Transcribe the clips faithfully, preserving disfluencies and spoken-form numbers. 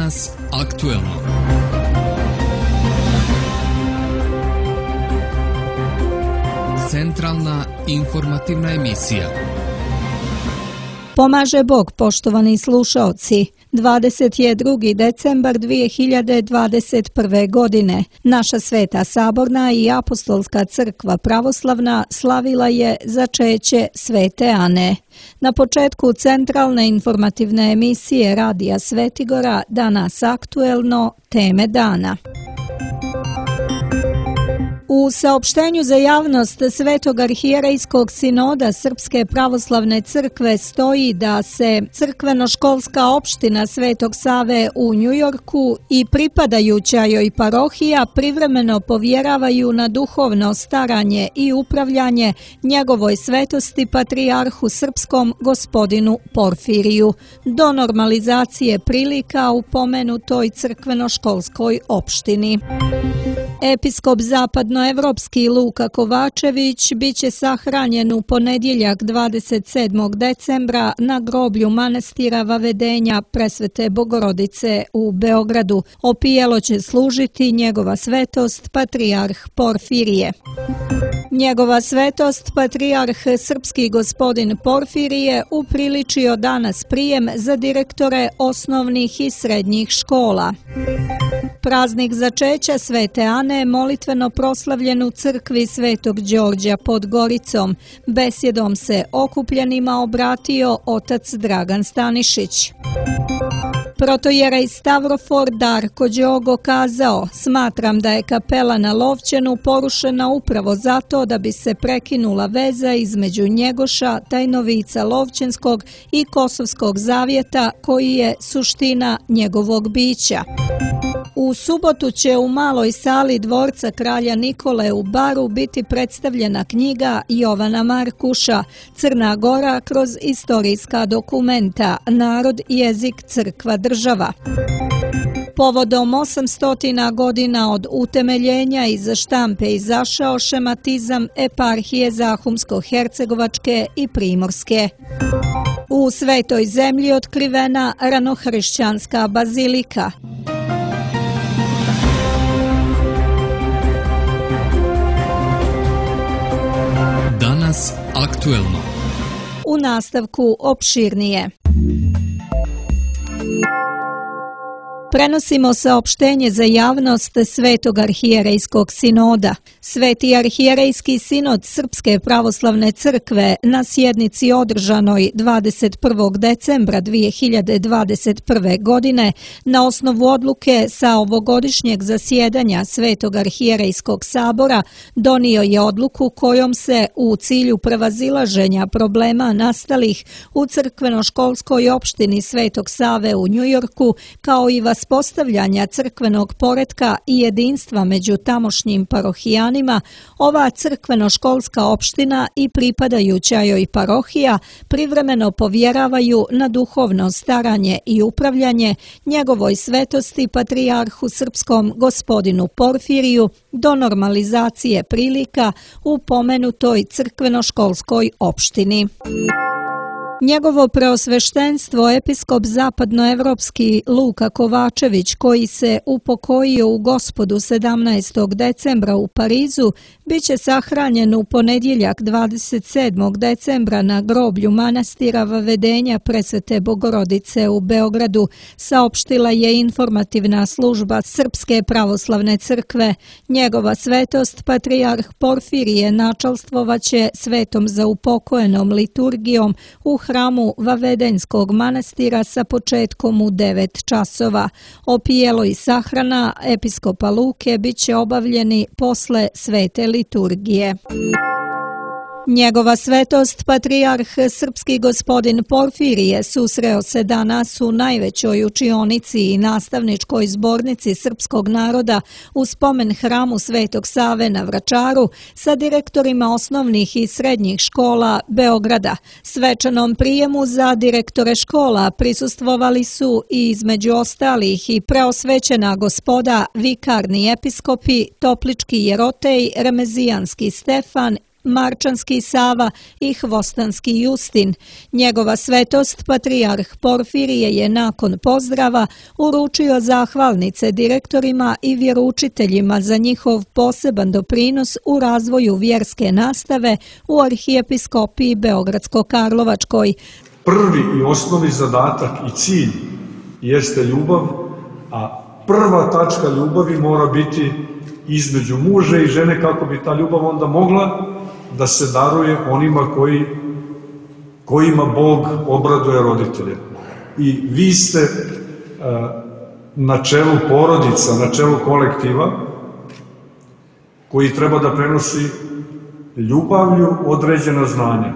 Danas aktuelno. Centralna informativna emisija. Pomaže Bog, poštovani slušaoci. dvadeset drugi decembar dvije hiljade dvadeset prve. godine. Naša Sveta Saborna i Apostolska crkva pravoslavna slavila je začeće Svete Ane. Na početku centralne informativne emisije Radija Svetigora Danas aktuelno, teme dana. U saopštenju za javnost Svetog arhijerejskog sinoda Srpske pravoslavne crkve stoji da se crkveno-školska opština Svetog Save u Njujorku i pripadajuća joj parohija privremeno povjeravaju na duhovno staranje i upravljanje njegovoj svetosti patrijarhu srpskom gospodinu Porfiriju do normalizacije prilika u pomenutoj crkveno-školskoj opštini. Episkop zapadnoevropski Luka Kovačević biće sahranjen u ponedjeljak dvadeset sedmog decembra na groblju manastira Vavedenja Presvete Bogorodice u Beogradu. Opijelo će služiti njegova svetost patrijarh Porfirije. Njegova svetost patrijarh srpski gospodin Porfirije upriličio danas prijem za direktore osnovnih i srednjih škola. Praznik začeća Svete Ane molitveno proslavljen u crkvi Svetog Đorđa pod Goricom. Besjedom se okupljenima obratio otac Dragan Stanišić. Protojerej Stavrofor Darko Đogo kazao: "Smatram da je kapela na Lovćenu porušena upravo zato da bi se prekinula veza između Njegoša, tajnovica Lovćenskog i Kosovskog zavjeta koji je suština njegovog bića." U subotu će u maloj sali dvorca kralja Nikole u Baru biti predstavljena knjiga Jovana Markuša Crna Gora kroz istorijska dokumenta, narod, jezik, crkva, država. Povodom osamstotina godina od utemeljenja iz štampe izašao šematizam eparhije Zahumsko-Hercegovačke i Primorske. U Svetoj zemlji otkrivena ranohrišćanska bazilika. Danas aktuelno. U nastavku opširnije. Prenosimo saopštenje za javnost Svetog arhijerejskog sinoda. Sveti arhijerejski sinod Srpske pravoslavne crkve na sjednici održanoj dvadeset prvog decembra dvije hiljade dvadeset prve. godine na osnovu odluke sa ovogodišnjeg zasjedanja Svetog arhijerejskog sabora donio je odluku kojom se u cilju prevazilaženja problema nastalih u crkveno-školskoj opštini Svetog Save u Njujorku kao i uspostavljanja crkvenog poretka i jedinstva među tamošnjim parohijanima, ova crkveno-školska opština i pripadajuća joj parohija privremeno povjeravaju na duhovno staranje i upravljanje njegovoj svetosti patrijarhu srpskom gospodinu Porfiriju do normalizacije prilika u pomenutoj crkveno-školskoj opštini. Njegovo preosveštenstvo episkop zapadnoevropski Luka Kovačević, koji se upokojio u Gospodu sedamnaestog decembra u Parizu, biće sahranjen u ponedjeljak dvadeset sedmog decembra na groblju manastira Vavedenja Presvete Bogorodice u Beogradu, saopštila je informativna služba Srpske pravoslavne crkve. Njegova svetost patrijarh Porfirije načalstvovaće svetom zaupokojenom liturgijom u hramu Vavedenskog manastira sa početkom u devet časova. Opijelo i sahrana episkopa Luke biće obavljeni posle svete liturgije. Njegova svetost patrijarh srpski gospodin Porfirije susreo se danas u najvećoj učionici i nastavničkoj zbornici srpskog naroda u spomen hramu Svetog Save na Vračaru sa direktorima osnovnih i srednjih škola Beograda. Svečanom prijemu za direktore škola prisustvovali su i između ostalih i preosvećena gospoda vikarni episkopi, toplički jerotej, remezijanski Stefan Marčanski Sava i Hvostanski Justin. Njegova svetost, patrijarh Porfirije, je nakon pozdrava uručio zahvalnice direktorima i vjeroučiteljima za njihov poseban doprinos u razvoju vjerske nastave u Arhijepiskopiji Beogradsko-Karlovačkoj. Prvi i osnovni zadatak i cilj jeste ljubav, a prva tačka ljubavi mora biti između muža i žene, kako bi ta ljubav onda mogla da se daruje onima koji, kojima Bog obraduje roditelje. I vi ste uh, na čelu porodica, na čelu kolektiva, koji treba da prenosi ljubavlju određena znanja.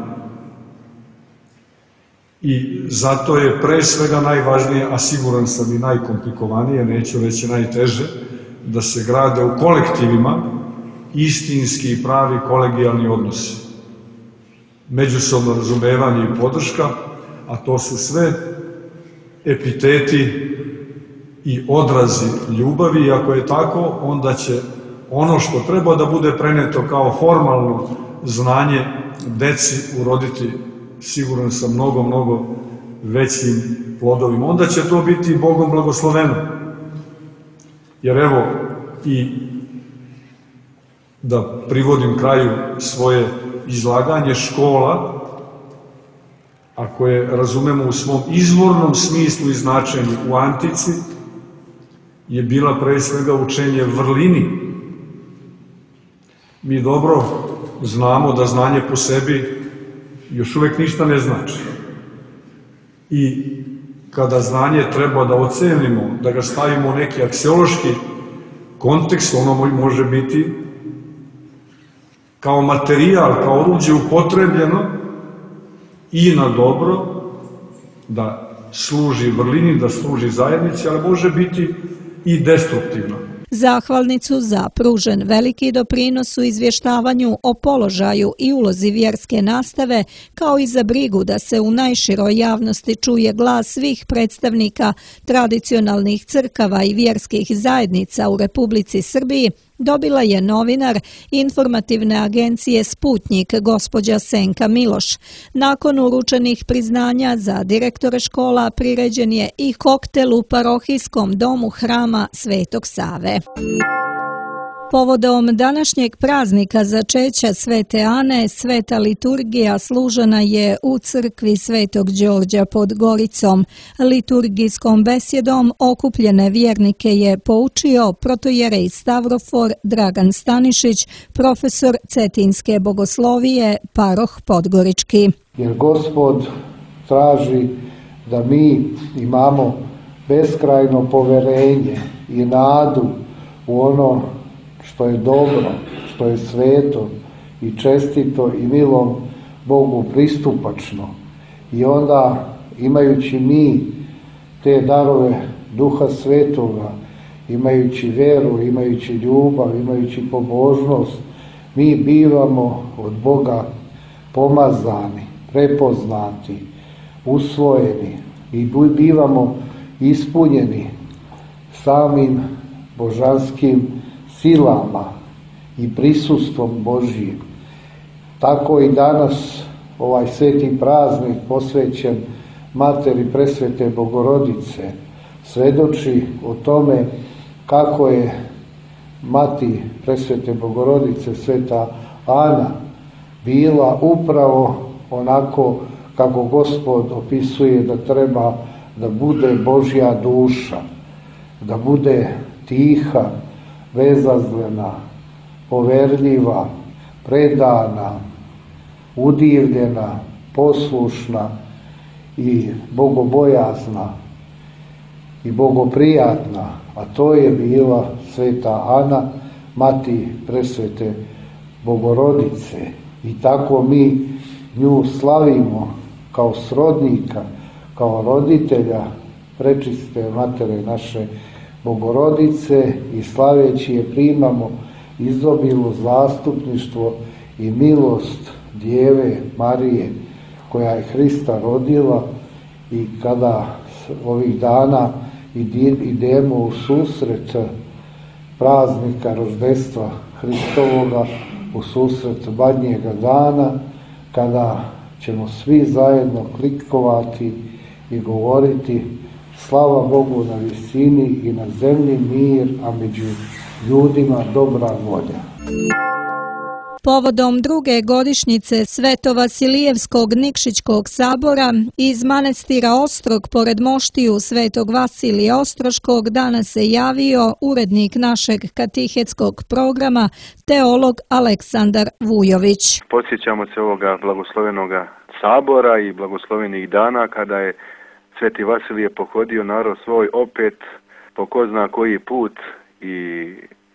I zato je pre svega najvažnije, a siguran sam i najkomplikovanije, neću reći najteže, da se grade u kolektivima istinski i pravi kolegijalni odnosi. Međusobno razumevanje i podrška, a to su sve epiteti i odrazi ljubavi, i ako je tako, onda će ono što treba da bude preneto kao formalno znanje deci uroditi, siguran sam, mnogo, mnogo većim plodovima. Onda će to biti Bogom blagosloveno. Jer evo, i da privodim kraju svoje izlaganje, škola, ako je razumemo u svom izvornom smislu i značenju u antici, je bila pre svega učenje vrlini. Mi dobro znamo da znanje po sebi još uvek ništa ne znači. I kada znanje treba da ocenimo, da ga stavimo u neki aksiološki kontekst, ono može biti kao materijal, kao oruđe upotrebljeno i na dobro, da služi vrlini, da služi zajednici, ali može biti i destruktivno. Zahvalnicu za pružen veliki doprinos u izvještavanju o položaju i ulozi vjerske nastave, kao i za brigu da se u najširoj javnosti čuje glas svih predstavnika tradicionalnih crkava i vjerskih zajednica u Republici Srbiji, dobila je novinar informativne agencije Sputnjik gospođa Senka Miloš. Nakon uručenih priznanja za direktore škola priređen je i koktel u parohijskom domu hrama Svetog Save. Povodom današnjeg praznika začeća Svete Ane, sveta liturgija služena je u crkvi Svetog Đorđa pod Goricom. Liturgijskom besjedom okupljene vjernike je poučio protojerej Stavrofor Dragan Stanišić, profesor Cetinske bogoslovije, paroh Podgorički. Jer Gospod traži da mi imamo beskrajno poverenje i nadu u ono što je dobro, što je sveto i čestito i milom Bogu pristupačno. I onda, imajući mi te darove Duha Svetoga, imajući veru, imajući ljubav, imajući pobožnost, mi bivamo od Boga pomazani, prepoznati, usvojeni i bivamo ispunjeni samim božanskim silama i prisustvom Božjim. Tako i danas ovaj sveti praznik posvećen Materi Presvete Bogorodice svedoči o tome kako je Mati Presvete Bogorodice, Sveta Ana, bila upravo onako kako Gospod opisuje da treba da bude Božja duša, da bude tiha, bezazlena, poverljiva, predana, udivljena, poslušna i bogobojazna i bogoprijatna, a to je bila Sveta Ana, Mati Presvete Bogorodice. I tako mi nju slavimo kao srodnika, kao roditelja prečiste Matere naše Bogorodice i slaveći je primamo izobilno zastupništvo i milost Djeve Marije koja je Hrista rodila. I kada ovih dana idemo u susret praznika roždestva Hristovoga, u susret badnjega dana, kada ćemo svi zajedno klikovati i govoriti slava Bogu na visini i na zemlji mir, a među ljudima dobra volja. Povodom druge godišnjice Svetovasilijevskog Nikšićkog sabora iz manastira Ostrog pored moštiju Svetog Vasilija Ostroškog danas se javio urednik našeg katehetskog programa, teolog Aleksandar Vujović. Podsjećamo se ovoga blagoslovenoga sabora i blagoslovenih dana kada je Sveti Vasilije pohodio narod svoj opet po ko zna koji put i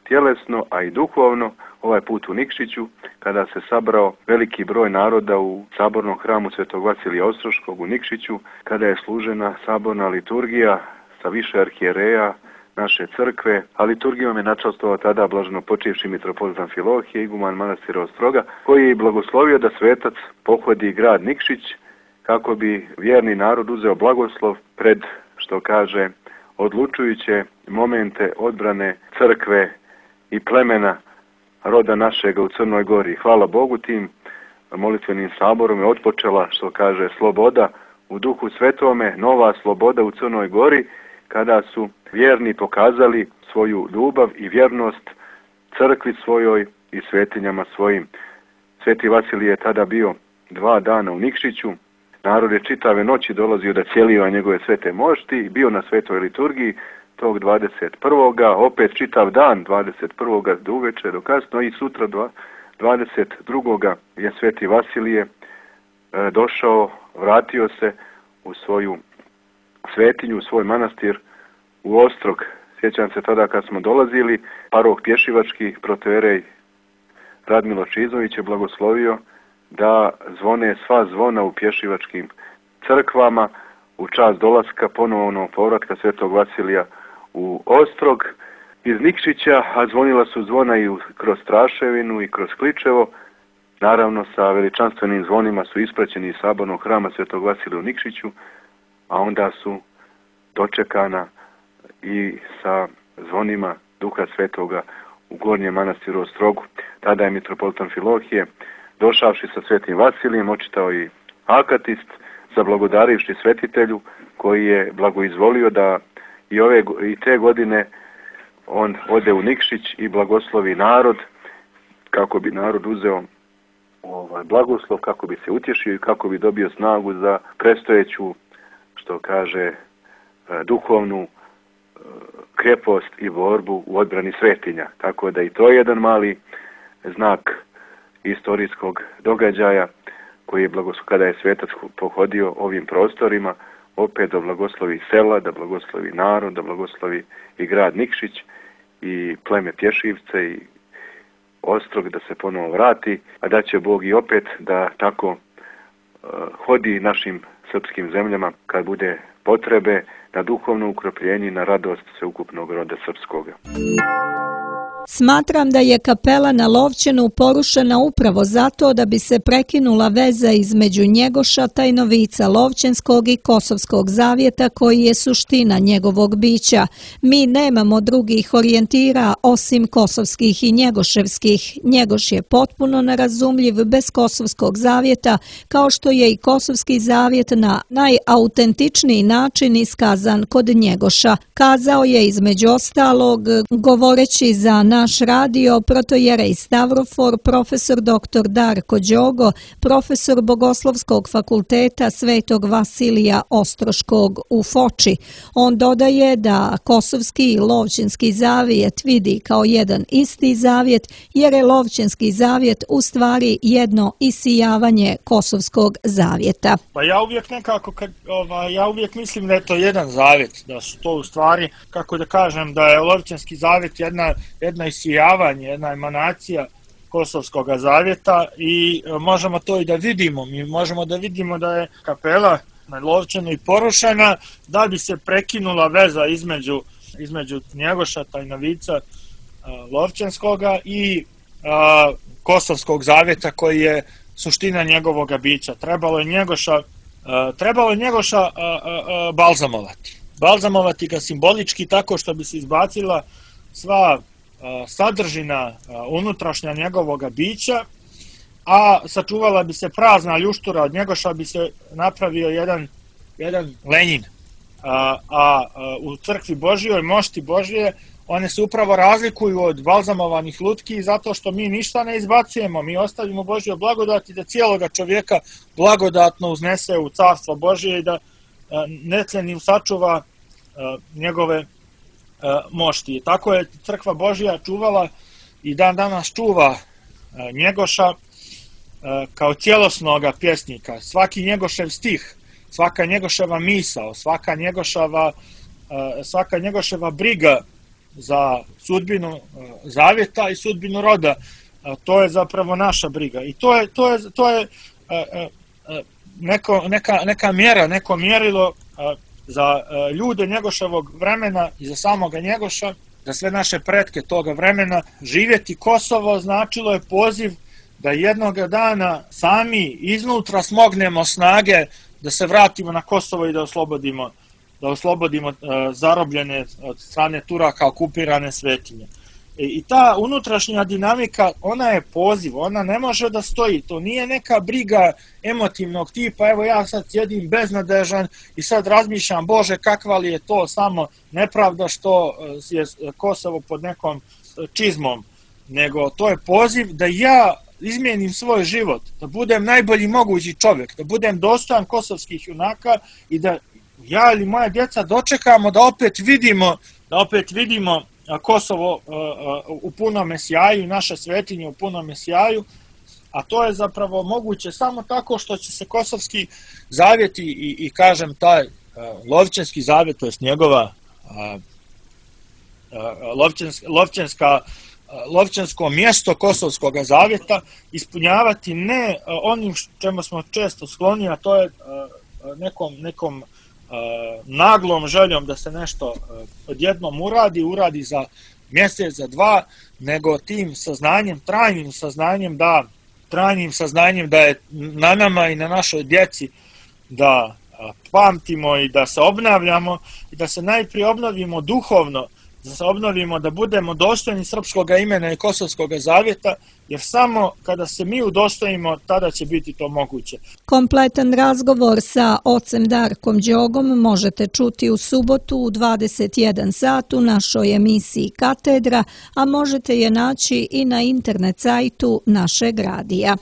tjelesno, a i duhovno, ovaj put u Nikšiću, kada se sabrao veliki broj naroda u sabornom hramu Svetog Vasilija Ostroškog u Nikšiću, kada je služena saborna liturgija sa više arhijereja naše crkve, a liturgijom je načastvovao tada blaženo počivši mitropolit Amfilohije, iguman manastira Ostroga, koji je blagoslovio da svetac pohodi grad Nikšić kako bi vjerni narod uzeo blagoslov pred, što kaže, odlučujuće momente odbrane crkve i plemena roda našega u Crnoj Gori. Hvala Bogu, tim molitvenim saborom je otpočela, što kaže, sloboda u Duhu Svetome, nova sloboda u Crnoj Gori, kada su vjerni pokazali svoju ljubav i vjernost crkvi svojoj i svetinjama svojim. Sveti Vasilije je tada bio dva dana u Nikšiću, narod je čitave noći dolazio da cijelio njegove svete mošti, bio na svetoj liturgiji tog dvadeset prvoga opet čitav dan dvadeset prvoga do uveče, do kasno, i sutra dvadeset drugoga je Sveti Vasilije e, došao, vratio se u svoju svetinju, u svoj manastir u Ostrog. Sjećam se tada kad smo dolazili, parok pješivački protoijerej Radmilo Čizović je blagoslovio da zvone sva zvona u pješivačkim crkvama u čast dolaska ponovnog povratka Svetog Vasilija u Ostrog iz Nikšića, a zvonila su zvona i kroz Straševinu i kroz Kličevo. Naravno, sa veličanstvenim zvonima su ispraćeni iz sabornog hrama Svetog Vasilija u Nikšiću, a onda su dočekana i sa zvonima Duha Svetoga u Gornjem manastiru Ostrogu. Tada je mitropolit Amfilohije, došavši sa Svetim Vasilijem, očitao i akatist, zablagodarivši svetitelju, koji je blagoizvolio da i ove i te godine on ode u Nikšić i blagoslovi narod, kako bi narod uzeo ovaj blagoslov, kako bi se utješio i kako bi dobio snagu za predstojeću, što kaže, duhovnu krepost i borbu u odbrani svetinja. Tako da i to je jedan mali znak istorijskog događaja koji je blagoslov, kada je svetac pohodio ovim prostorima, opet da blagoslovi sela, da blagoslovi narod, da blagoslovi i grad Nikšić i pleme Pješivce i Ostrog, da se ponovo vrati, a da će Bog i opet da tako uh, hodi našim srpskim zemljama kad bude potrebe na duhovno ukropljenje i na radost sveukupnog roda srpskoga. Smatram da je kapela na Lovćenu porušena upravo zato da bi se prekinula veza između Njegoša Tajnovica Lovćenskog i Kosovskog zavjeta koji je suština njegovog bića. Mi nemamo drugih orijentira osim kosovskih i njegoševskih. Njegoš je potpuno nerazumljiv bez Kosovskog zavjeta, kao što je i Kosovski zavjet na najautentičniji način iskazan kod Njegoša. Kazao je između ostalog, govoreći za naš radio, protoijerej Stavrofor, profesor doktor Darko Đogo, profesor Bogoslovskog fakulteta Svetog Vasilija Ostroškog u Foči. On dodaje da Kosovski i Lovćenski zavjet vidi kao jedan isti zavjet, jer je Lovćenski zavjet u stvari jedno isijavanje Kosovskog zavjeta. Pa ja uvijek nekako, kad, ova, ja uvijek mislim da je to jedan zavjet, da su to u stvari, kako da kažem, da je Lovćenski zavjet jedna, jedna isijavanje, jedna emanacija Kosovskog zavjeta i možemo to i da vidimo. Mi možemo da vidimo da je kapela na Lovćenu i porušena da bi se prekinula veza između, između Njegoša Tajnovica Lovćenskoga i a, Kosovskog zavjeta koji je suština njegovog bića. Trebalo je Njegoša, a, trebalo je Njegoša a, a, a, balzamovati. Balzamovati ga simbolički tako što bi se izbacila sva sadržina unutrašnja njegovog bića, a sačuvala bi se prazna ljuštura, od Njegoša bi se napravio jedan, jedan Lenjin. A, a u crkvi Božjoj, mošti Božje, one se upravo razlikuju od balzamovanih lutki zato što mi ništa ne izbacujemo, mi ostavimo Božju blagodat i da cijeloga čovjeka blagodatno uznese u carstvo Božje i da necenim sačuva njegove mošti. Tako je crkva Božja čuvala i dan danas čuva Njegoša kao cijelosnoga pjesnika. Svaki Njegošev stih, svaka Njegoševa misao, svaka Njegoševa, svaka Njegoševa briga za sudbinu zavjeta i sudbinu roda, to je zapravo naša briga. I to je, to je, to je neko, neka, neka mjera, neko mjerilo za ljude Njegoševog vremena i za samoga Njegoša, za sve naše pretke toga vremena. Živjeti Kosovo značilo je poziv da jednoga dana sami iznutra smognemo snage da se vratimo na Kosovo i da oslobodimo, da oslobodimo uh, zarobljene od strane Turaka okupirane svetinje. I, I ta unutrašnja dinamika, ona je poziv, ona ne može da stoji, to nije neka briga emotivnog tipa, evo ja sad sjedim beznadežan i sad razmišljam, Bože, kakva li je to samo nepravda što je Kosovo pod nekom čizmom, nego to je poziv da ja izmijenim svoj život, da budem najbolji mogući čovjek, da budem dostojan kosovskih junaka i da ja ili moja djeca dočekamo da opet vidimo, da opet vidimo Kosovo u punome sjaju, naše svetinje u punome sjaju, a to je zapravo moguće samo tako što će se kosovski zavjet i, i, i kažem taj Lovćenski zavjet, to je njegova Lovćenska, Lovćenska Lovćensko mjesto Kosovskog zavjeta ispunjavati ne onim čemu smo često skloni, a to je nekom, nekom naglom željom da se nešto odjednom uradi, uradi za mjesec, za dva, nego tim saznanjem, trajnim saznanjem da, trajnim saznanjem da je na nama i na našoj djeci da pamtimo i da se obnavljamo i da se najprije obnovimo duhovno, da se obnovimo, da budemo dostojni srpskog imena i Kosovskog zavjeta, jer samo kada se mi udostojimo, tada će biti to moguće. Kompletan razgovor sa ocem Darkom Đogom možete čuti u subotu u dvadeset jedan sat u našoj emisiji Katedra, a možete je naći i na internet sajtu našeg radija.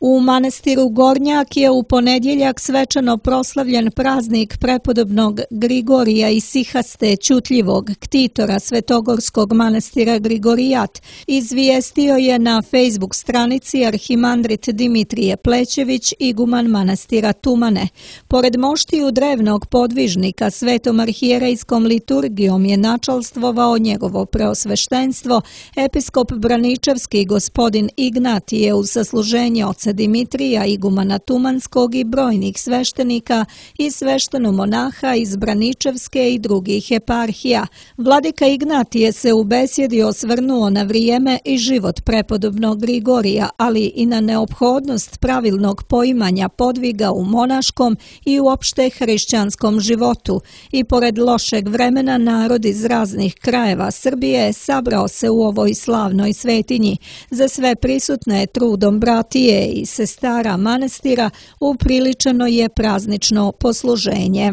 U manastiru Gornjak je u ponedjeljak svečano proslavljen praznik prepodobnog Grigorija Isihaste Ćutljivog, ktitora Svetogorskog manastira Grigorijat, izvijestio je na Facebook stranici arhimandrit Dimitrije Plećević, iguman manastira Tumane. Pored moštiju drevnog podvižnika svetom arhijerejskom liturgijom je načalstvovao njegovo preosveštenstvo, episkop Braničevski gospodin Ignatije uz sasluženje oca Dimitrija, igumana Tumanskog i brojnih sveštenika i sveštenomonaha iz Braničevske i drugih eparhija. Vladika Ignatije se u besjedi osvrnuo na vrijeme i život prepodobnog Grigorija, ali i na neophodnost pravilnog poimanja podviga u monaškom i uopšte hrišćanskom životu. I pored lošeg vremena narod iz raznih krajeva Srbije sabrao se u ovoj slavnoj svetinji. Za sve prisutne trudom bratije i sestara manastira upriličeno je praznično posluženje.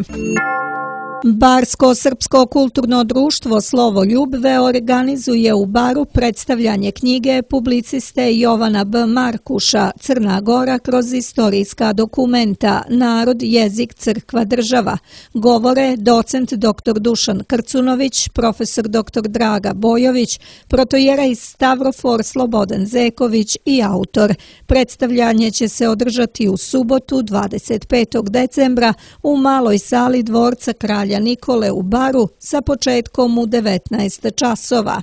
Barsko-srpsko kulturno društvo Slovoljubve organizuje u Baru predstavljanje knjige publiciste Jovana B. Markuša Crna Gora kroz istorijska dokumenta Narod, jezik, crkva, država. Govore docent doktor Dušan Krcunović, profesor doktor Draga Bojović, protojerej Stavrofor Slobodan Zeković i autor. Predstavljanje će se održati u subotu dvadeset petog decembra u maloj sali dvorca Kralja Nikole u Baru sa početkom u devetnaest časova.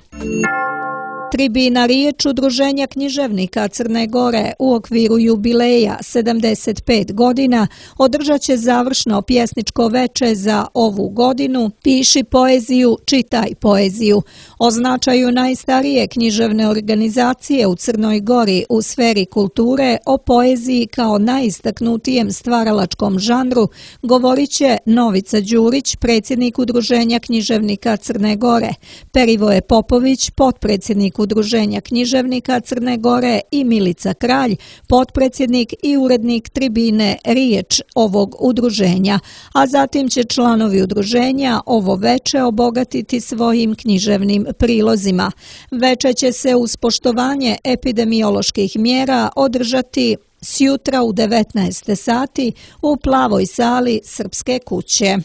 Tribina riječ Udruženja književnika Crne Gore u okviru jubileja sedamdeset pet godina održat će završno pjesničko veče za ovu godinu Piši poeziju, čitaj poeziju. O značaju najstarije književne organizacije u Crnoj Gori u sferi kulture, o poeziji kao najistaknutijem stvaralačkom žanru, govorit će Novica Đurić, predsjednik Udruženja književnika Crne Gore, Perivoje Popović, potpredsjednik Udruženja književnika Crne Gore i Milica Kralj, potpredsjednik i urednik tribine Riječ ovog udruženja, a zatim će članovi udruženja ovo veče obogatiti svojim književnim prilozima. Veče će se uz poštovanje epidemioloških mjera održati sjutra u devetnaest sati u plavoj sali Srpske kuće.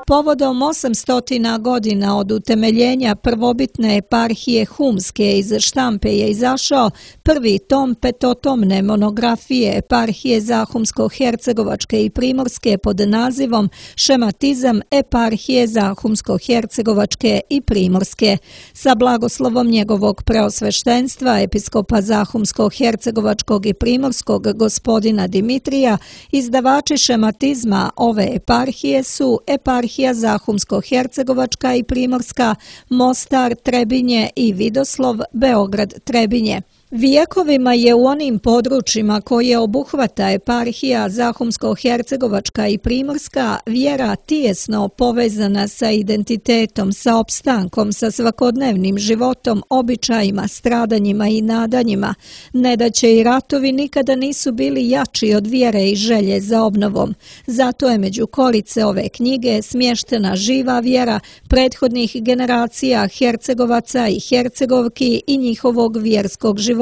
Povodom osamstotina godina od utemeljenja prvobitne eparhije Humske iz štampe je izašao prvi tom petotomne monografije eparhije Zahumsko-Hercegovačke i Primorske pod nazivom Šematizam eparhije Zahumsko-Hercegovačke i Primorske. Sa blagoslovom njegovog preosveštenstva episkopa Zahumsko-Hercegovačkog i Primorskog gospodina Dimitrija, izdavači šematizma ove eparhije su eparhije Zahumsko-Hercegovačka i Primorska, Mostar, Trebinje i Vidoslov, Beograd, Trebinje. Vijekovima je u onim područjima koje obuhvata eparhija Zahumsko-Hercegovačka i Primorska vjera tijesno povezana sa identitetom, sa opstankom, sa svakodnevnim životom, običajima, stradanjima i nadanjima. Nedaće i ratovi nikada nisu bili jači od vjere i želje za obnovom. Zato je među korice ove knjige smještena živa vjera prethodnih generacija Hercegovaca i Hercegovki i njihovog vjerskog života,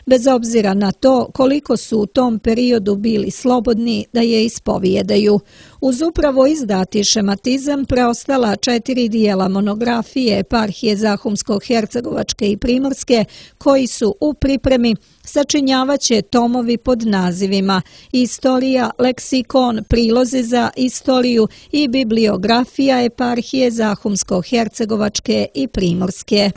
bez obzira na to koliko su u tom periodu bili slobodni da je ispovijedaju. Uz upravo izdati šematizam preostala četiri dijela monografije eparhije Zahumsko-Hercegovačke i Primorske, koji su u pripremi, sačinjavaće tomovi pod nazivima Istorija, leksikon, prilozi za istoriju i bibliografija eparhije Zahumsko-Hercegovačke i Primorske.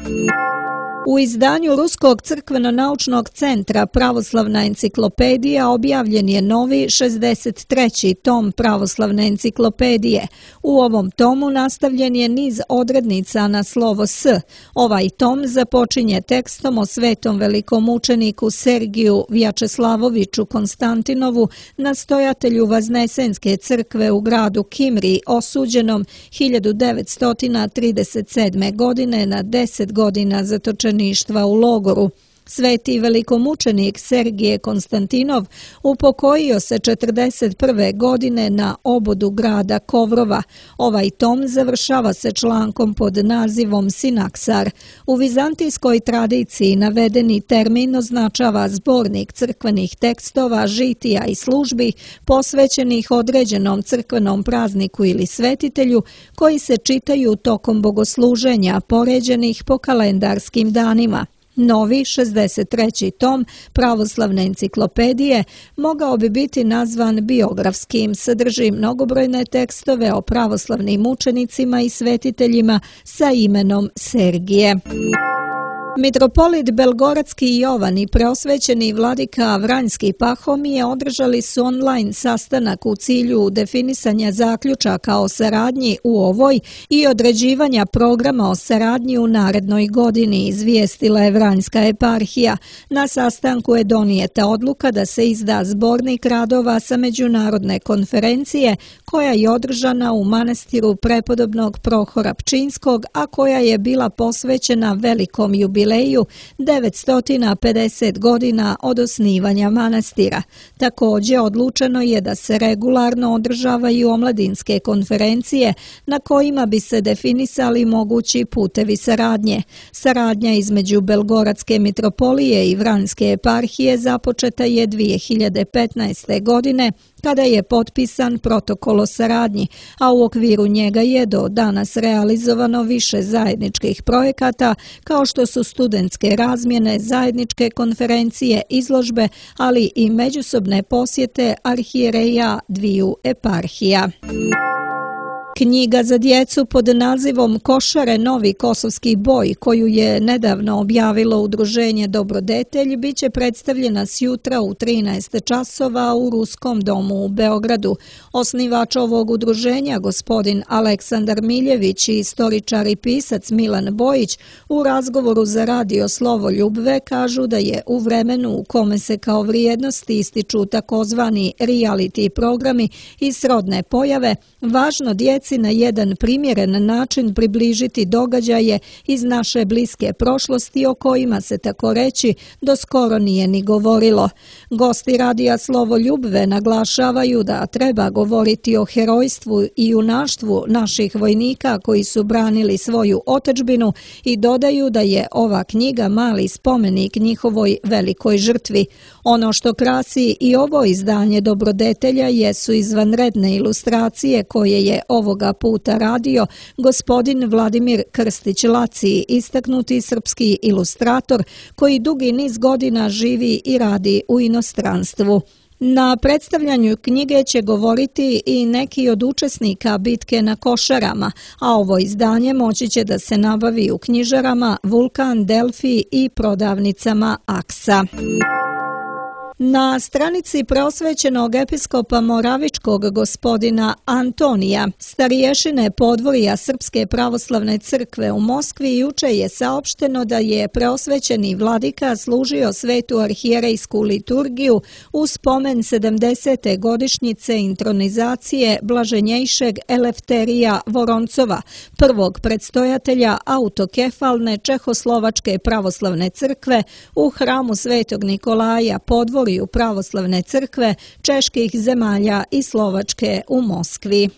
U izdanju Ruskog crkveno-naučnog centra Pravoslavna enciklopedija objavljen je novi šezdeset treći tom Pravoslavne enciklopedije. U ovom tomu nastavljen je niz odrednica na slovo S. Ovaj tom započinje tekstom o svetom velikom učeniku Sergiju Vjačeslavoviću Konstantinovu, nastojatelju Vaznesenske crkve u gradu Kimri, osuđenom hiljadu devetsto trideset sedme. godine na deset godina zatočenja u logoru. Sveti velikomučenik Sergije Konstantinov upokojio se četrdeset prve. godine na obodu grada Kovrova. Ovaj tom završava se člankom pod nazivom Sinaksar. U vizantijskoj tradiciji navedeni termin označava zbornik crkvenih tekstova, žitija i službi posvećenih određenom crkvenom prazniku ili svetitelju koji se čitaju tokom bogosluženja poređenih po kalendarskim danima. Novi šezdeset treći tom Pravoslavne enciklopedije mogao bi biti nazvan biografskim, sadrži mnogobrojne tekstove o pravoslavnim učenicima i svetiteljima sa imenom Sergije. Mitropolit Belgoradski Jovan i preosvećeni vladika Vranjski Pahomije održali su online sastanak u cilju definisanja zaključaka o saradnji u ovoj i određivanja programa o saradnji u narednoj godini, izvijestila je Vranjska eparhija. Na sastanku je donijeta odluka da se izda zbornik radova sa međunarodne konferencije koja je održana u manastiru prepodobnog Prohora Pčinskog, a koja je bila posvećena velikom jubileju devetsto pedeset godina od osnivanja manastira. Također odlučeno je da se regularno održavaju omladinske konferencije na kojima bi se definisali mogući putevi saradnje. Saradnja između Belgoradske mitropolije i Vranjske eparhije započeta je dvije hiljade petnaeste. godine kada je potpisan protokol o saradnji, a u okviru njega je do danas realizovano više zajedničkih projekata kao što su studentske razmjene, zajedničke konferencije, izložbe, ali i međusobne posjete arhijereja dviju eparhija. Knjiga za djecu pod nazivom Košare novi kosovski boj, koju je nedavno objavilo udruženje Dobrodetelj, bit će predstavljena sjutra u trinaest časova u Ruskom domu u Beogradu. Osnivač ovog udruženja, gospodin Aleksandar Miljević i istoričar i pisac Milan Bojić, u razgovoru za radio Slovo Ljubve kažu da je u vremenu u kome se kao vrijednosti ističu takozvani reality programi i srodne pojave, važno djeci na jedan primjeren način približiti događaje iz naše bliske prošlosti o kojima se tako reći do skoro nije ni govorilo. Gosti radija Slovo Ljubve naglašavaju da treba govoriti o herojstvu i junaštvu naših vojnika koji su branili svoju otadžbinu i dodaju da je ova knjiga mali spomenik njihovoj velikoj žrtvi. Ono što krasi i ovo izdanje Dobrodetelja jesu izvanredne ilustracije koje je ovoga puta radio gospodin Vladimir Krstić-Laci, istaknuti srpski ilustrator koji dugi niz godina živi i radi u inostranstvu. Na predstavljanju knjige će govoriti i neki od učesnika bitke na Košarama, a ovo izdanje moći će da se nabavi u knjižarama Vulkan, Delfi i prodavnicama Aksa. Na stranici preosvećenog episkopa Moravičkog gospodina Antonija, starješine podvorja Srpske pravoslavne crkve u Moskvi, juče je saopšteno da je preosvećeni vladika služio svetu arhijerejsku liturgiju u spomen sedamdesete godišnjice intronizacije blaženjejšeg Elefterija Voroncova, prvog predstojatelja autokefalne Čehoslovačke pravoslavne crkve u hramu Svetog Nikolaja podvorja u pravoslavne crkve čeških zemalja i Slovačke u Moskvi.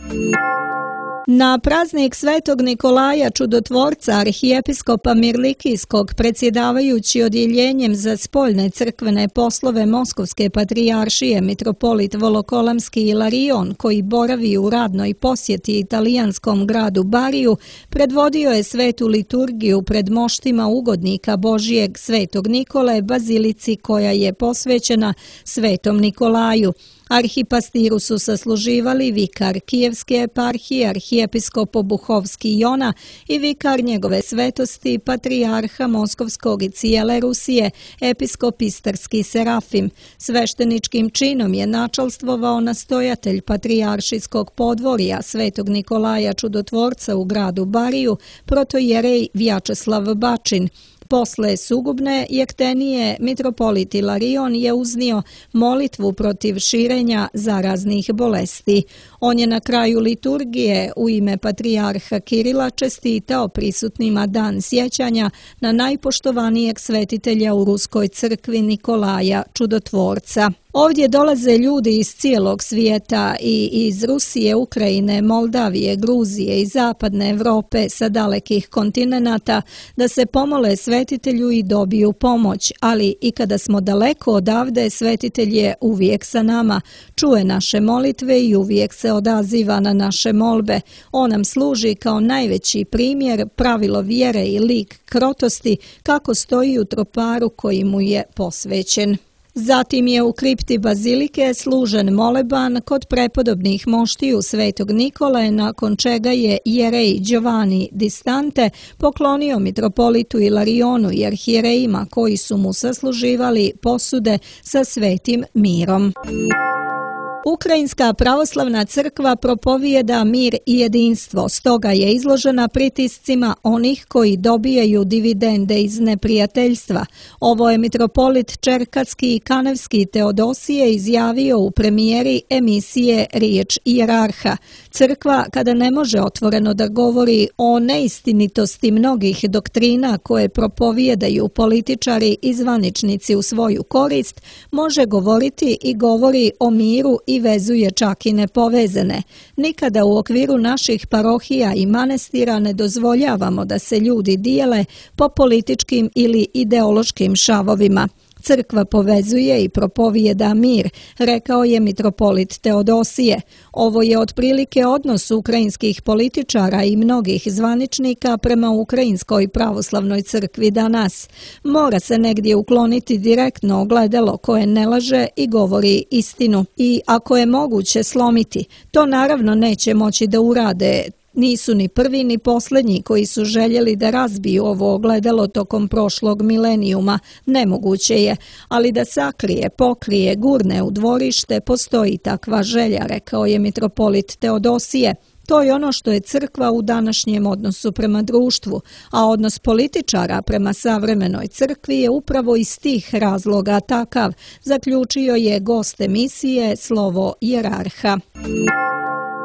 Na praznik Svetog Nikolaja Čudotvorca arhijepiskopa Mirlikijskog, predsjedavajući odjeljenjem za spoljne crkvene poslove Moskovske patrijaršije mitropolit Volokolamski Ilarion, koji boravi u radnoj posjeti italijanskom gradu Bariju, predvodio je svetu liturgiju pred moštima ugodnika Božijeg Svetog Nikole, bazilici koja je posvećena Svetom Nikolaju. Arhipastiru su sasluživali vikar Kijevske eparhije, arhijepiskop Obuhovski Jona i vikar njegove svetosti, patrijarha Moskovskog i cijele Rusije, episkop Istarski Serafim. Svešteničkim činom je načalstvovao nastojatelj patrijaršijskog podvorja Svetog Nikolaja Čudotvorca u gradu Bariju, protojerej Vjačeslav Bačin. Posle sugubne jektenije mitropolit Ilarion je uznio molitvu protiv širenja zaraznih bolesti. On je na kraju liturgije u ime patrijarha Kirila čestitao prisutnima dan sjećanja na najpoštovanijeg svetitelja u Ruskoj crkvi Nikolaja Čudotvorca. Ovdje dolaze ljudi iz cijelog svijeta i iz Rusije, Ukrajine, Moldavije, Gruzije i zapadne Evrope sa dalekih kontinenata da se pomole svetitelju i dobiju pomoć, ali i kada smo daleko odavde, svetitelj je uvijek sa nama, čuje naše molitve i uvijek se odaziva na naše molbe. On nam služi kao najveći primjer, pravilo vjere i lik krotosti kako stoji u troparu koji mu je posvećen. Zatim je u kripti bazilike služen moleban kod prepodobnih moštiju Svetog Nikole, nakon čega je jerej Giovanni Distante poklonio mitropolitu Ilarionu i arhijerejima koji su mu sasluživali posude sa svetim mirom. Ukrajinska pravoslavna crkva propovijeda mir i jedinstvo, stoga je izložena pritiscima onih koji dobijaju dividende iz neprijateljstva. Ovo je mitropolit Čerkatski i Kanevski Teodosije izjavio u premijeri emisije Riječ ijerarha. Crkva, kada ne može otvoreno da govori o neistinitosti mnogih doktrina koje propovijedaju političari i zvaničnici u svoju korist, može govoriti i govori o miru i vezuje čak i nepovezane. Nikada u okviru naših parohija i manastira ne dozvoljavamo da se ljudi dijele po političkim ili ideološkim šavovima. Crkva povezuje i propovijeda mir, rekao je mitropolit Teodosije. Ovo je otprilike odnos ukrajinskih političara i mnogih zvaničnika prema Ukrajinskoj pravoslavnoj crkvi danas. Mora se negdje ukloniti direktno ogledalo koje ne laže i govori istinu. I ako je moguće slomiti, to naravno neće moći da urade. Nisu ni prvi ni posljednji koji su željeli da razbiju ovo ogledalo tokom prošlog milenijuma. Nemoguće je, ali da sakrije, pokrije, gurne u dvorište, postoji takva želja, rekao je mitropolit Teodosije. To je ono što je crkva u današnjem odnosu prema društvu, a odnos političara prema savremenoj crkvi je upravo iz tih razloga takav, zaključio je gost emisije Slovo Jerarha.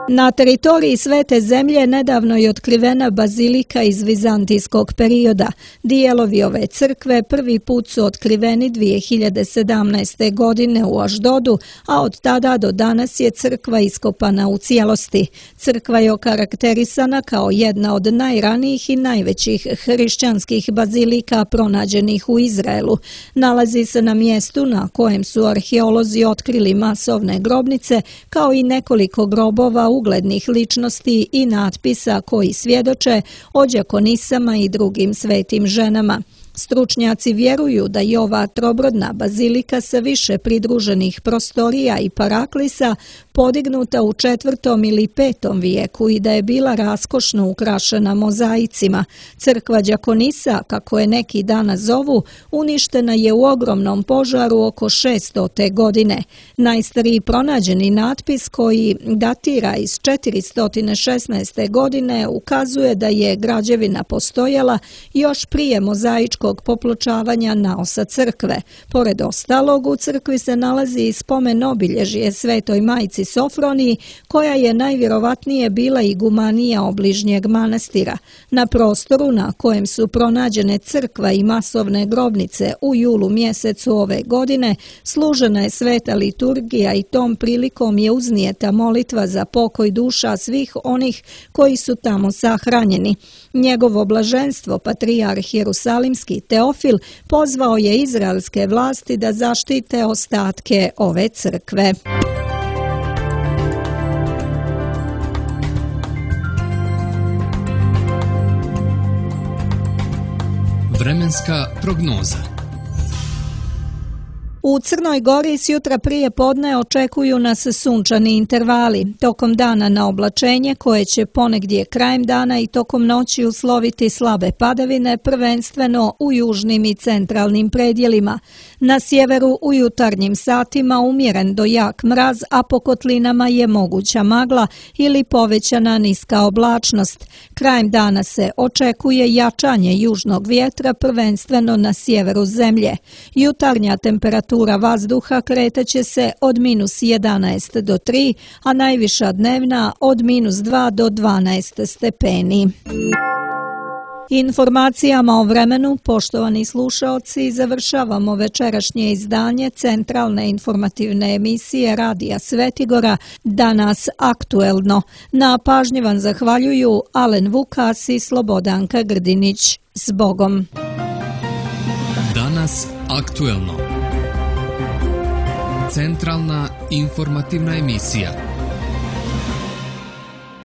Na teritoriji Svete zemlje nedavno je otkrivena bazilika iz vizantijskog perioda. Dijelovi ove crkve prvi put su otkriveni dvije hiljade sedamnaeste. godine u Aždodu, a od tada do danas je crkva iskopana u cijelosti. Crkva je okarakterisana kao jedna od najranijih i najvećih hrišćanskih bazilika pronađenih u Izraelu. Nalazi se na mjestu na kojem su arheolozi otkrili masovne grobnice, kao i nekoliko grobova uglednih ličnosti i natpisa koji svjedoče o đakonisama i drugim svetim ženama. Stručnjaci vjeruju da je ova trobrodna bazilika sa više pridruženih prostorija i paraklisa podignuta u četvrtom ili petom vijeku i da je bila raskošno ukrašena mozaicima. Crkva đakonisa, kako je neki danas zovu, uništena je u ogromnom požaru oko šeststote. godine. Najstariji pronađeni natpis koji datira iz četiristo šesnaeste. godine ukazuje da je građevina postojala još prije mozaičkog popločavanja naosa crkve. Pored ostalog, u crkvi se nalazi i spomen obilježje Svetoj majci Sofroniji, koja je najvjerovatnije bila igumanija obližnjeg manastira. Na prostoru na kojem su pronađene crkva i masovne grobnice u julu mjesecu ove godine, služena je sveta liturgija i tom prilikom je uznijeta molitva za pokoj duša svih onih koji su tamo sahranjeni. Njegovo blaženstvo, patrijarh Jerusalimski Teofil, pozvao je izraelske vlasti da zaštite ostatke ove crkve. Vremenska prognoza. U Crnoj Gori s jutra prije podne očekuju nas sunčani intervali. Tokom dana na oblačenje koje će ponegdje krajem dana i tokom noći usloviti slabe padavine, prvenstveno u južnim i centralnim predjelima. Na sjeveru u jutarnjim satima umjeren do jak mraz, a po kotlinama je moguća magla ili povećana niska oblačnost. Krajem dana se očekuje jačanje južnog vjetra, prvenstveno na sjeveru zemlje. Jutarnja temperatura vazduha kretaće se od minus jedanaest do tri, a najviša dnevna od minus dva do dvanaest stepeni. Informacijama o vremenu, poštovani slušaoci, završavamo večerašnje izdanje centralne informativne emisije Radija Svetigora Danas aktuelno. Na pažnji vam zahvaljuju Alen Vukas i Slobodanka Grdinić. S Bogom! Danas aktuelno. Centralna informativna emisija.